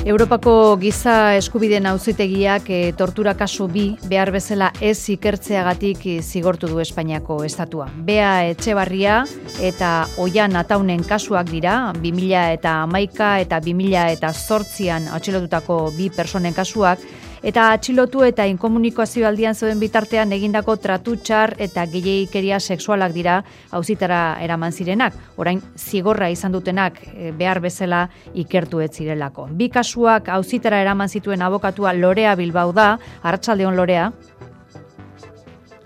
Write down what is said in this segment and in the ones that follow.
Europako Giza Eskubideen Auzitegiak tortura kasu bi behar bezala ez ikertzeagatik zigortu du Espainiako estatua. Bea Etxebarria eta Oian Ataunen kasuak dira, 2011 eta 2008an atxilotutako bi personen kasuak, eta atxilotu eta inkomunikazio aldian zeuden bitartean egindako tratu txar eta gehiegikeria sexualak dira auzitara eraman zirenak. Orain zigorra izan dutenak behar bezala ikertu ez zirelako. Bi kasuak auzitara eraman zituen abokatua Lorea Bilbao da. Arratsaldeon, Lorea.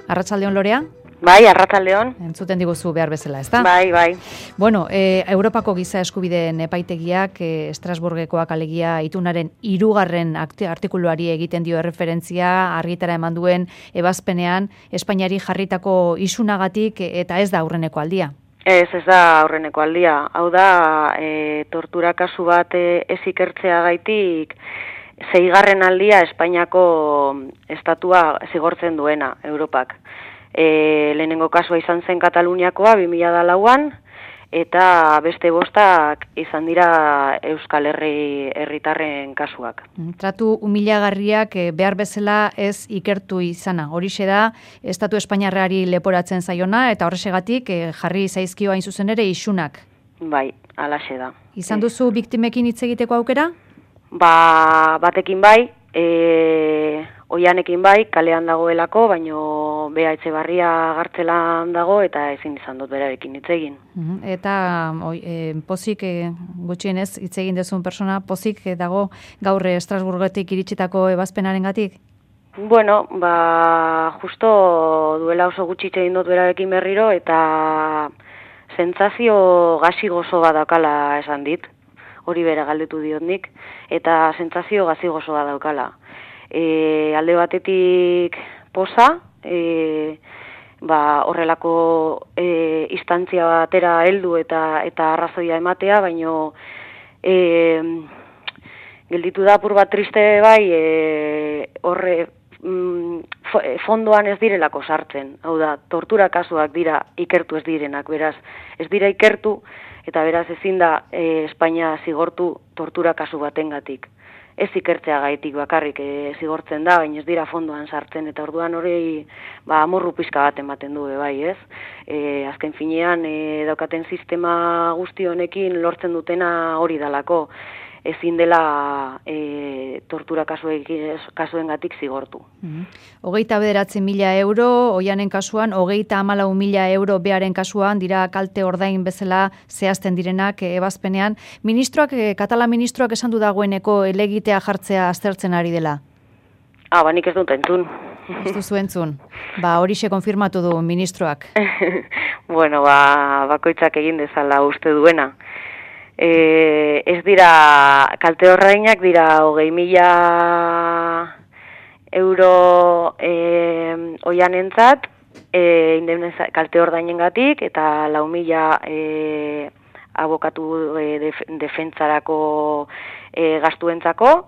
Arratsaldeon, Lorea. Bai, arratsaldeon. Entzuten diguzu behar bezala, ezta? Bai. Bueno, Europako Giza Eskubideen epaitegiak Estrasburgekoak alegia itunaren 3. artikuluari egiten dio erreferentzia argitara eman duen ebazpenean Espainiari jarritako isunagatik eta ez da aurreneko aldia. Ez da aurreneko aldia. Hau da, tortura kasu bat ez ikertzeagaitik 6. aldia Espainiako estatua zigortzen duena Europak. Lehenengo kasua izan zen Kataluniakoa 2004an eta beste 5 izan dira Euskal Herritarren kasuak. Tratu humilagarriak behar bezala ez ikertu izana. Horixe da Estatu Espainiarrari leporatzen zaiona eta horrexegatik jarri zaizkio hain zuzen ere isunak. Bai, halaxe da. Izan duzu biktimekin hitz egiteko aukera? Batekin bai, Oianekin bai, kalean dagoelako, baino Bea Etxebarria gartzelan dago eta ezin izan dut berarekin hitz egin. Eta pozik gutxienez hitz egin dezun persona, pozik dago gaur Estrasburgetik iritsitako ebazpenarengatik? Bueno, justo duela oso gutxi hitz egin dut berarekin berriro eta sentsazio gazi gozo bat daukala esan dit. Hori bera galdetu diot nik, eta sentsazio gazi gozo bat daukala. Alde batetik poza, horrelako instantzia batera heldu eta arrazoia ematea, baino gelditu da apur bat triste bai, horre fondoan ez direlako sartzen. Hau da, tortura kasuak dira ikertu ez direnak, beraz, ez dira ikertu, eta beraz ezin da Espainia zigortu tortura kasu batengatik. Ez ikertzeagaitik bakarrik zigortzen da, baina ez dira fondoan sartzen, eta orduan hori amorru pixka bat ematen du, bai, ez? Azken finean, daukaten sistema guzti honekin lortzen dutena hori dalako, ezin dela tortura kasuengatik zigortu. 29.000 euro, Oianen kasuan, 34.000 euro Bearen kasuan, dira kalte ordain bezala zehazten direnak ebazpenean. Katalan ministroak esan du dagoeneko elegitea jartzea aztertzen ari dela? Nik ez dut entzun. Ez duzu entzun. Horixe konfirmatu du ministroak. Bueno, bakoitzak egin dezala uste duena. Ez dira, kalte ordainak dira 20.000 euro Oianentzat, kalte ordainengatik eta 4.000 abokatu defentsarako gastuentzako,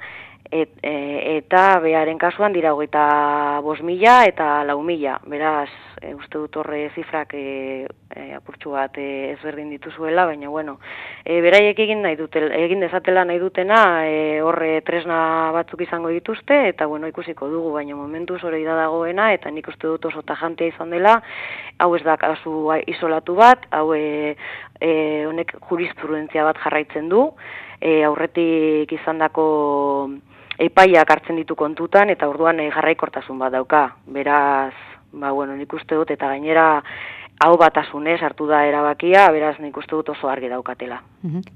eta Bearen kasuan dira 25.000 eta 4.000, beraz, uste dut horre zifrak apurtxu bat ezberdin dituzuela, baina bueno, beraiek egin dezatela nahi dutena, horre tresna batzuk izango dituzte, eta bueno, ikusiko dugu, baina momentuz hori da dagoena, eta nik uste dut oso tajantea izan dela, hau ez da kasu isolatu bat, hau honek jurisprudentzia bat jarraitzen du, aurretik izandako epaiak hartzen ditu kontutan, eta orduan jarraikortasun bat dauka, beraz, nik uste dut, eta gainera hau batasunez hartu da erabakia, beraz nik uste dut oso argi daukatela.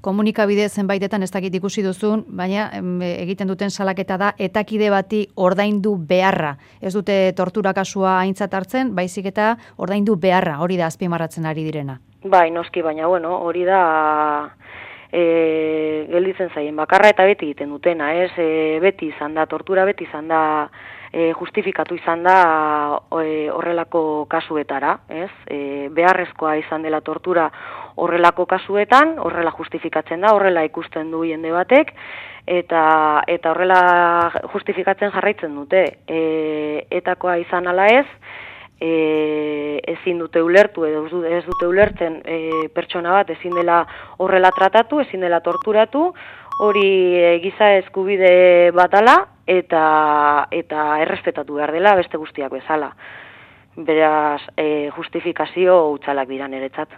Komunikabide zenbaitetan ez dakit ikusi duzun, baina egiten duten salaketa da, etakide bati ordaindu beharra. Ez dute tortura kasua aintzat hartzen, baizik eta ordaindu beharra, hori da azpimarratzen ari direna. Bai, noski, baina hori da gelditzen zaien bakarra eta beti egiten dutena, ez? Beti izan da, tortura beti izan da, justifikatu izan da horrelako kasuetara, ez? Beharrezkoa izan dela tortura horrelako kasuetan, horrela justifikatzen da, horrela ikusten du jende batek, eta horrela justifikatzen jarraitzen dute. Etakoa izan ala ez, ezin dute ulertu edo ez dute ulertzen pertsona bat ezin dela horrela tratatu, ezin dela torturatu, hori giza eskubide batala eta errespetatu behar dela beste guztiak bezala. Beraz, justifikazio hutsalak dira niretzat.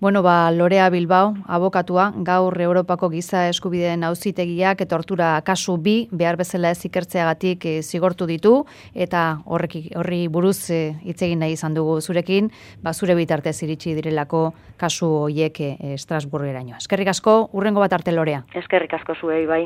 Bueno, Lorea Bilbao, abokatua, gaur Europako giza eskubideen auzitegiak tortura kasu 2 behar bezala ez ikertzeagatik zigortu ditu, eta horri buruz hitz egin nahi izan dugu zurekin, zure bitartez iritsi direlako kasu hoiek Estrasburgeraino. Eskerrik asko, hurrengo bat arte, Lorea. Eskerrik asko zuei, bai.